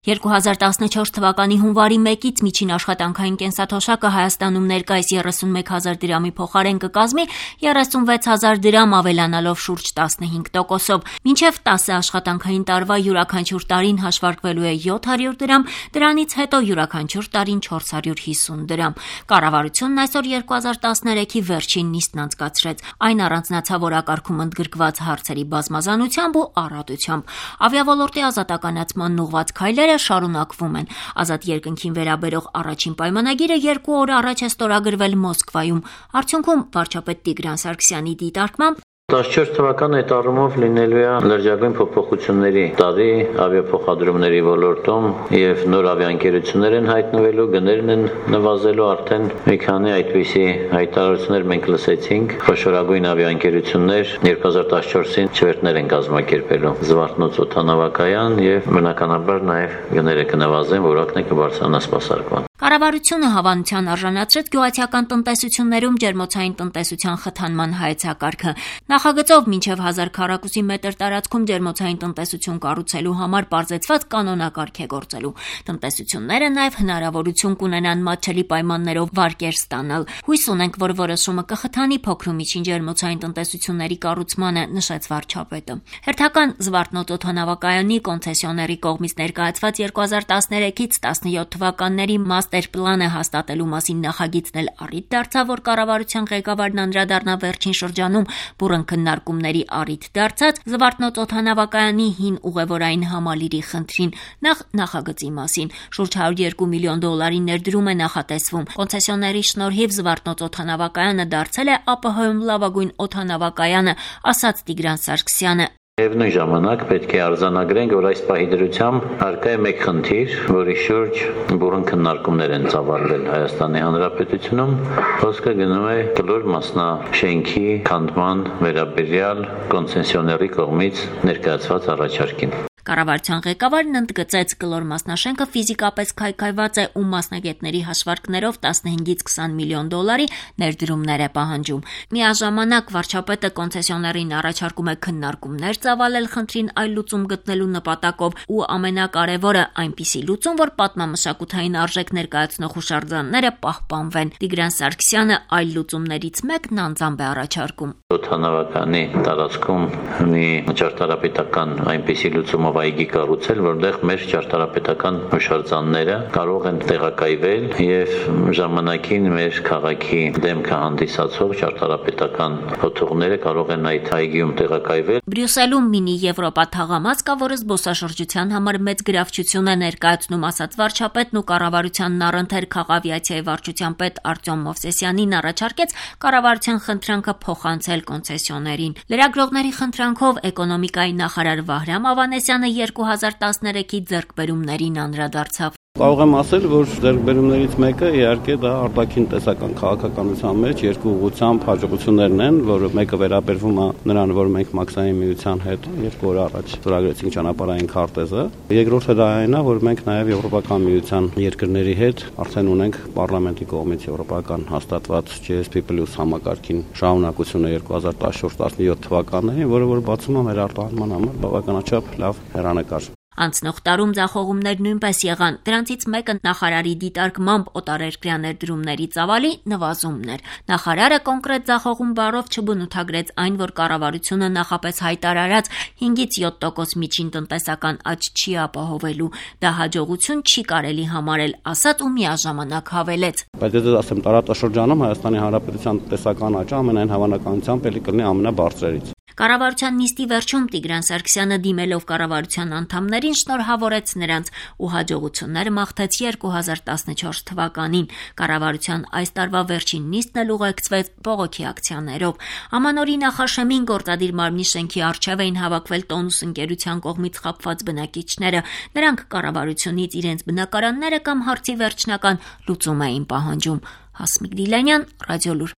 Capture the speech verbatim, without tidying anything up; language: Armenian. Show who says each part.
Speaker 1: երկու հազար տասնչորս թվականի հունվարի մեկից միջին աշխատանքային կենսաթոշակը Հայաստանում ներկայիս երեսունմեկ հազար դրամի փոխարեն կկազմի երեսունվեց հազար դրամ, ավելանալով շուրջ տասնհինգ տոկոսով։ Մինչև տասը աշխատանքային տարվա յուրաքանչյուր տարին հաշվարկվելու է յոթ հարյուր դրամ, դրանից հետո յուրաքանչյուր տարին չորս հարյուր հիսուն դրամ։ Կառավարությունն այսօր երկու հազար տասներեքի վերջին նիստն անցկացրեց։ Այն առանձնացավ օրակարգում ընդգրկված հարցերի բազմազանությամբ ու առատությամբ։ Ավիաոլորտի ազատականացման ուղղված քայլերը շարունակվում են։ Ազատ երկնքին վերաբերող առաջին պայմանագիրը երկու օր առաջ է ստորագրվել Մոսկվայում։ Արդյունքում վարչապետ Տիգրան Սարգսյանի դիտարկմամբ
Speaker 2: տասնչորս թվականը այդ առումով լինելու է լրջագույն փոփոխությունների տարի ավիափոխադրումների ոլորտում եւ նոր ավիաընկերություններ են հայտնվելու, գներն են նվազելու, արդեն մի քանի այդպիսի հայտարարություններ մենք լսեցինք։ Խոշորագույն ավիաընկերություններ երկու հազար տասնչորսին չվերթներ են կազմակերպելու Զվարթնոց օդանավակայան եւ բնականաբար նաեւ գները կնվազեն, որակն է կբարձրանա սպասարկման։
Speaker 1: Կառավարությունը հավանության արժանացրեց գյուղացիական տնտեսություններում ջերմոցային տնտեսության խթանման հայեցակարգը։ Նախագծով մինչև հազար քառակուսի մետր տարածքում ջերմոցային տնտեսություն կառուցելու համար պարզեցված կանոնակարգ է գործելու։ Տնտեսությունները նաև հնարավորություն կունենան մատչելի պայմաններով վարկեր ստանալ։ Հույս ունենք, որ որոշումը կխթանի փոքր ու միջին ջերմոցային տնտեսությունների կառուցմանը, նշեց վարչապետը։ Հերթական Զվարթնոց օդանավակայանի կոնցեսիոների կողմից ներկայացված երկու հազար տասներեքից տասնյոթ թվականների մաստեր պլանը հաստատելու մասին նախագիծն էլ առիթ դարձավ, որ կառավարության ղեկավարն անդրադառնա վերջին շրջանում բուռն քննարկումների առիթ դարձած Զվարթնոց օդանավակայանի հին ուղևորային համալիրի խնդրին, նախ նախագծի մասին։ Շուրջ հարյուր երկու միլիոն դոլարի ներդրում է նախատեսվում։ Կոնցեսիոների շնորհիվ Զվարթնոց օդանավակայանը դարձել է ԱՊՀ-ում լավագույն օդանավակայանը, ասաց Տիգրան Սարգսյանը։
Speaker 2: Միևնույն ժամանակ պետք է արձանագրենք, որ այս պահի դրությամբ առկա է մեկ խնդիր, որի շուրջ բուռն քննարկումներ են ծավալվել Հայաստանի Հանրապետությունում։ Խոսքը գնում է կլոր մասնաշենքի քանդման վերաբերյալ կոնցեսիոների կողմից ներկայացված առաջարկին։
Speaker 1: Կառավարության ղեկավարն ընդգծեց, կլոր մասնաշենքը ֆիզիկապես քայքայված է ու մասնագետների հաշվարկներով տասնհինգից քսան միլիոն դոլարի ներդրումներ է պահանջում։ Միաժամանակ վարչապետը կոնցեսիոներին առաջարկում է քննարկումներ ծավալել խնդրին այլ լուծում գտնելու նպատակով ու ամենակարևորը այնպիսի լուծում, որ պատմամշակութային արժեք ներկայացնող հուշարձանները պահպանվեն։ Տիգրան Սարգսյանը այլ լուծումներից մեկն անձամբ է առաջարկում։
Speaker 2: Օդանավականի տարածքում մի ճարտարապետական այնպիսի լուծումով այգի կառուցել, որտեղ մեր ճարտարապետական հուշարձանները կարող են տեղակայվել եւ ժամանակին մեր քաղաքի դեմքը հանդիսացող ճարտարապետական հոթողները կարող են այդ այգիում տեղակայվել։
Speaker 1: Բրյուսելում մինի Եվրոպա թաղամաս կա, որը զբոսաշրջության համար մեծ գրավչություն է ներկայացնում, ասաց վարչապետն ու կառավարությանն առընթեր քաղավիացիայի վարչության պետ Արտյոմ Մովսեսյանին առաջարկեց կառավարության խնդրանքը փոխանցել կոնցեսիոներին։ Լրագրողների խնդրանքով էկոնոմիկայի նախարար Վահրամ Ավանեսյանը երկու հազար տասներեքի ձեռքբերումներին անդրադարձավ։
Speaker 3: Կարող եմ ասել, որ ձեռքբերումներից մեկը իհարկե դա արտաքին տեսական քաղաքականության մեջ երկու ուղղությամբ հաջողություններն են, որը մեկը վերաբերվում է նրան, որ մենք մաքսային միության հետ երկու օր առաջ ստորագրեցինք ճանապարհային քարտեզը։ Երկրորդը դա այն է, որ մենք նաև Եվրոպական միության երկրների հետ արդեն ունենք պարլամենտի կողմից եվրոպական հաստատված G S P plus համակարգին շահունակությունը երկու հազար տասնչորս տասնյոթ թվականներին, որը որ բացում է մեր արտահանման համար բավականաչափ լավ հեռանկար։
Speaker 1: Անցնող տարում ձախողումներ նույնպես եղան։ Դրանցից մեկը նախարարի դիտարկմամբ օտարերկրյա ներդրումների ծավալի նվազումն էր։ Նախարարը կոնկրետ ձախողում բառով չբնութագրեց այն, որ կառավարությունը նախապես հայտարարած հինգից յոթ տոկոս միջին տնտեսական աճ չի ապահովելու։ Դա հաջողություն չի կարելի համարել, ասաց ու միաժամանակ հավելեց։
Speaker 3: Բայց ես ասեմ, տարածաշրջանում Հայաստանի Հանրապետության տնտեսական աճը ամենայն հավանականությամբ ելի կլինի ամենաբարձրերից։
Speaker 1: Կառավարության նիստի վերջում Տիգրան Սարգսյանը դիմելով կառավարության անդամներին շնորհավորեց նրանց ու հաջողություններ մաղթեց երկու հազար տասնչորս թվականին։ Կառավարության այս տարվա վերջին նիստն էլ ուղեկցվեց բողոքի ակցիաներով։ Ամանորի նախաշեմին գործադիր մարմնի շենքի առջև էին հավաքվել Տոնուս ընկերության կողմից խաբված բնակիչները։ Նրանք կառավարությունից իրենց բնակարանները կամ հարցի վերջնական լուծում էին պահանջում։ Հասմիկ Դիլանյան, Ռադիոլուր։